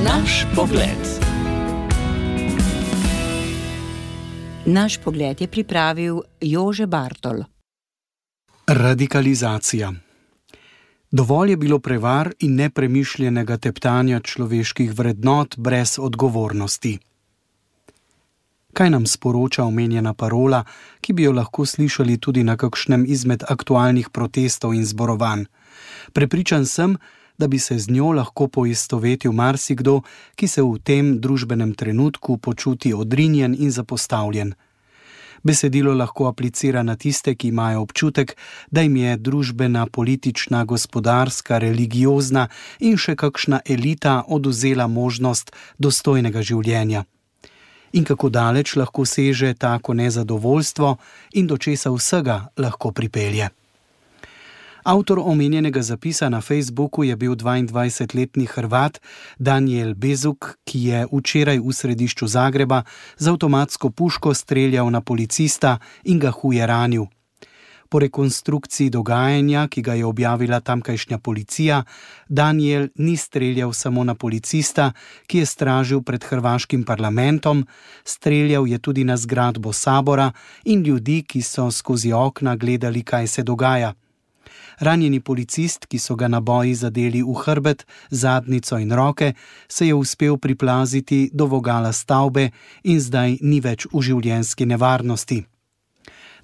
Naš pogled. Naš pogled je pripravil Jože Bartol. Radikalizacija. Dovolj je bilo prevar in nepremišljenega teptanja človeških vrednot brez odgovornosti. Kaj nam sporoča omenjena parola, ki bi jo lahko slišali tudi na kakšnem izmed aktualnih protestov in zborovanj? Prepričan sem, da bi se z njo lahko poistovetil marsikdo, ki se v tem družbenem trenutku počuti odrinjen in zapostavljen. Besedilo lahko aplicira na tiste, ki imajo občutek, da jim je družbena, politična, gospodarska, religiozna in še kakšna elita odvzela možnost dostojnega življenja. In kako daleč lahko seže tako nezadovoljstvo in do česa vsega lahko pripelje. Avtor omenjenega zapisa na Facebooku je bil 22-letni Hrvat Danijel Bezuk, ki je včeraj v središču Zagreba z avtomatsko puško streljal na policista in ga huje ranil. Po rekonstrukciji dogajanja, ki ga je objavila tamkajšnja policija, Danijel ni streljal samo na policista, ki je stražil pred hrvaškim parlamentom, streljal je tudi na zgradbo sabora in ljudi, ki so skozi okna gledali, kaj se dogaja. Ranjeni policist, ki so ga naboji zadeli v hrbet, zadnjico in roke, se je uspel priplaziti do vogala stavbe in zdaj ni več v življenjski nevarnosti.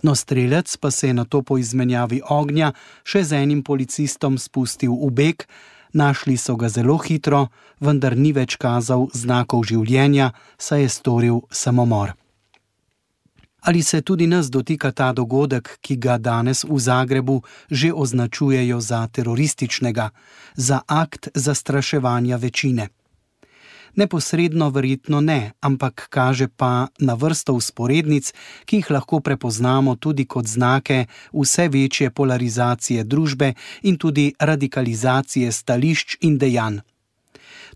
No, strelec pa se je nato po izmenjavi ognja še z enim policistom spustil v beg, našli so ga zelo hitro, vendar ni več kazal znakov življenja, saj je storil samomor. Ali se tudi nas dotika ta dogodek, ki ga danes v Zagrebu že označujejo za terorističnega, za akt zastraševanja večine? Neposredno verjetno ne, ampak kaže pa na vrsto vzporednic, ki jih lahko prepoznamo tudi kot znake vse večje polarizacije družbe in tudi radikalizacije stališč in dejanj.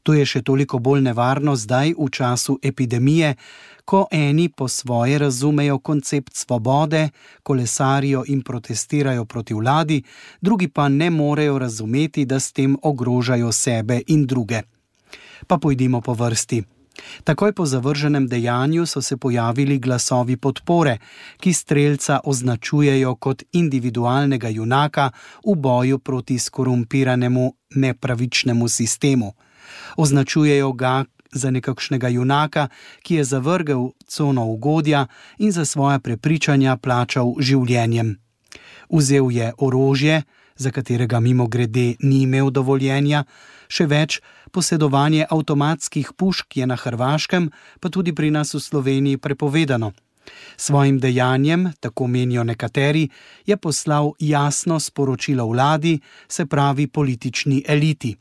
To je še toliko bolj nevarno zdaj v času epidemije, ko eni po svoje razumejo koncept svobode, kolesarijo in protestirajo proti vladi, drugi pa ne morejo razumeti, da s tem ogrožajo sebe in druge. Pa pojdimo po vrsti. Takoj po zavrženem dejanju so se pojavili glasovi podpore, ki strelca označujejo kot individualnega junaka v boju proti skorumpiranemu nepravičnemu sistemu. Označujejo ga za nekakšnega junaka, ki je zavrgel cono ugodja in za svoja prepričanja plačal življenjem. Vzel je orožje, za katerega mimogrede ni imel dovoljenja, še več, posedovanje avtomatskih pušk je na Hrvaškem, pa tudi pri nas v Sloveniji prepovedano. Svojim dejanjem, tako menijo nekateri, je poslal jasno sporočilo vladi, se pravi politični eliti.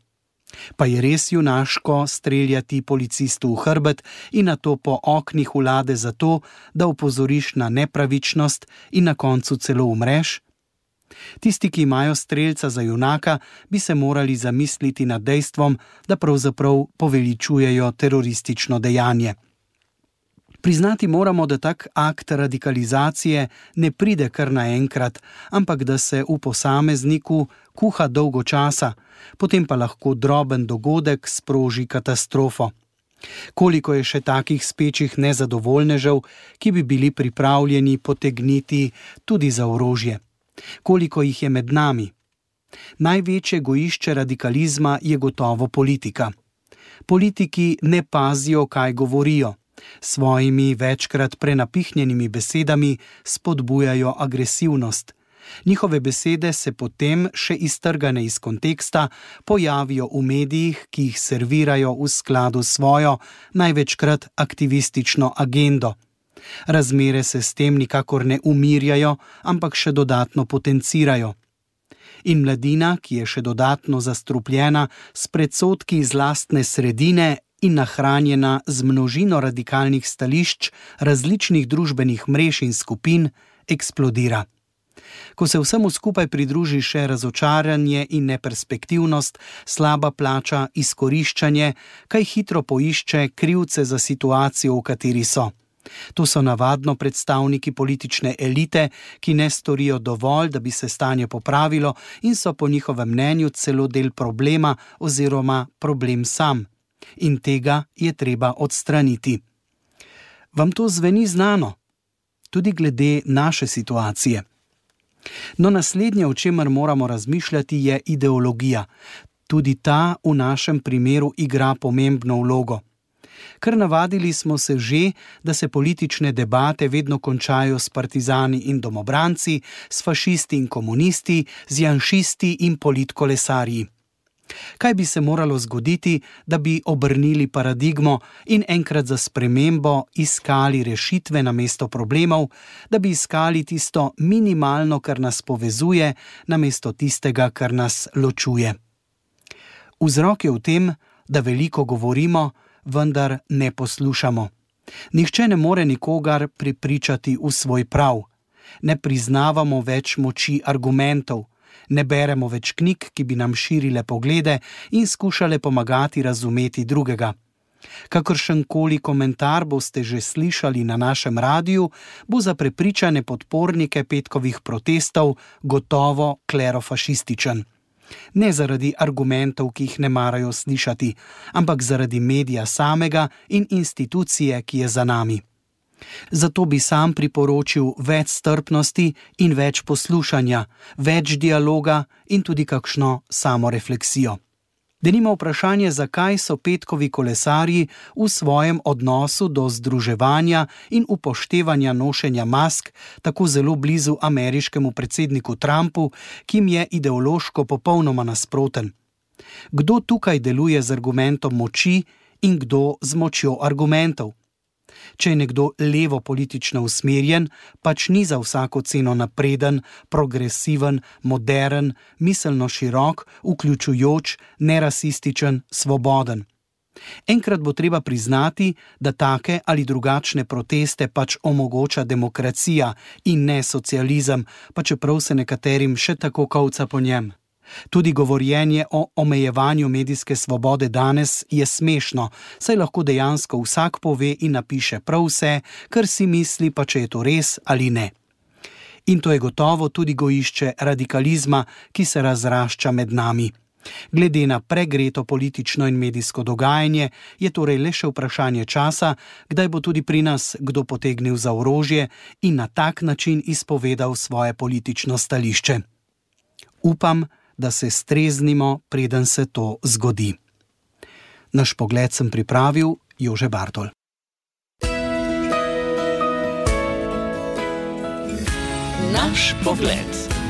Pa je res junaško streljati policistu v hrbet in nato po oknih vlade zato, da opozoriš na nepravičnost in na koncu celo umreš? Tisti, ki imajo strelca za junaka, bi se morali zamisliti nad dejstvom, da pravzaprav poveličujejo teroristično dejanje. Priznati moramo, da tak akt radikalizacije ne pride kar naenkrat, ampak da se v posamezniku kuha dolgo časa, potem pa lahko droben dogodek sproži katastrofo. Koliko je še takih spečih nezadovoljnežev, ki bi bili pripravljeni potegniti tudi za orožje? Koliko jih je med nami? Največje gojišče radikalizma je gotovo politika. Politiki ne pazijo, kaj govorijo. Svojimi večkrat prenapihnjenimi besedami spodbujajo agresivnost. Njihove besede se potem, še iztrgane iz konteksta, pojavijo v medijih, ki jih servirajo v skladu s svojo, največkrat aktivistično agendo. Razmere se s tem nikakor ne umirjajo, ampak še dodatno potencirajo. In mladina, ki je še dodatno zastrupljena s predsodki iz lastne sredine in nahranjena z množino radikalnih stališč različnih družbenih mrež in skupin, eksplodira. Ko se vsemu skupaj pridruži še razočaranje in neperspektivnost, slaba plača, izkoriščanje, kaj hitro poišče krivce za situacijo, v kateri so. To so navadno predstavniki politične elite, ki ne storijo dovolj, da bi se stanje popravilo in so po njihovem mnenju celo del problema oziroma problem sam. In tega je treba odstraniti. Vam to zveni znano? Tudi glede naše situacije. No, naslednje, o čemer moramo razmišljati, je ideologija. Tudi ta v našem primeru igra pomembno vlogo. Ker navadili smo se že, da se politične debate vedno končajo s partizani in domobranci, s fašisti in komunisti, z janšisti in politkolesarji. Kaj bi se moralo zgoditi, da bi obrnili paradigmo in enkrat za spremembo iskali rešitve namesto problemov, da bi iskali tisto minimalno, kar nas povezuje, namesto tistega, kar nas ločuje? Vzrok je v tem, da veliko govorimo, vendar ne poslušamo. Nihče ne more nikogar prepričati v svoj prav. Ne priznavamo več moči argumentov. Ne beremo več knjig, ki bi nam širile poglede in skušale pomagati razumeti drugega. Kakršenkoli komentar boste že slišali na našem radiju, bo za prepričane podpornike petkovih protestov gotovo klerofašističen. Ne zaradi argumentov, ki jih ne marajo slišati, ampak zaradi medija samega in institucije, ki je za nami. Zato bi sam priporočil več strpnosti in več poslušanja, več dialoga in tudi kakšno samorefleksijo. Denimo vprašanje, zakaj so petkovi kolesarji v svojem odnosu do združevanja in upoštevanja nošenja mask tako zelo blizu ameriškemu predsedniku Trumpu, ki jim je ideološko popolnoma nasproten. Kdo tukaj deluje z argumentom moči in kdo z močjo argumentov? Če je nekdo levo politično usmerjen, pač ni za vsako ceno napreden, progresiven, modern, miselno širok, vključujoč, nerasističen, svoboden. Enkrat bo treba priznati, da take ali drugačne proteste pač omogoča demokracija in ne socializem, pa čeprav se nekaterim še tako kolca po njem. Tudi govorjenje o omejevanju medijske svobode danes je smešno, saj lahko dejansko vsak pove in napiše prav vse, kar si misli, pa če je to res ali ne. In to je gotovo tudi gojišče radikalizma, ki se razrašča med nami. Glede na pregreto politično in medijsko dogajanje je torej le še vprašanje časa, kdaj bo tudi pri nas kdo potegnil za orožje in na tak način izpovedal svoje politično stališče. Upam, da se streznimo, preden se to zgodi. Naš pogled sem pripravil Jože Bartol. Naš pogled.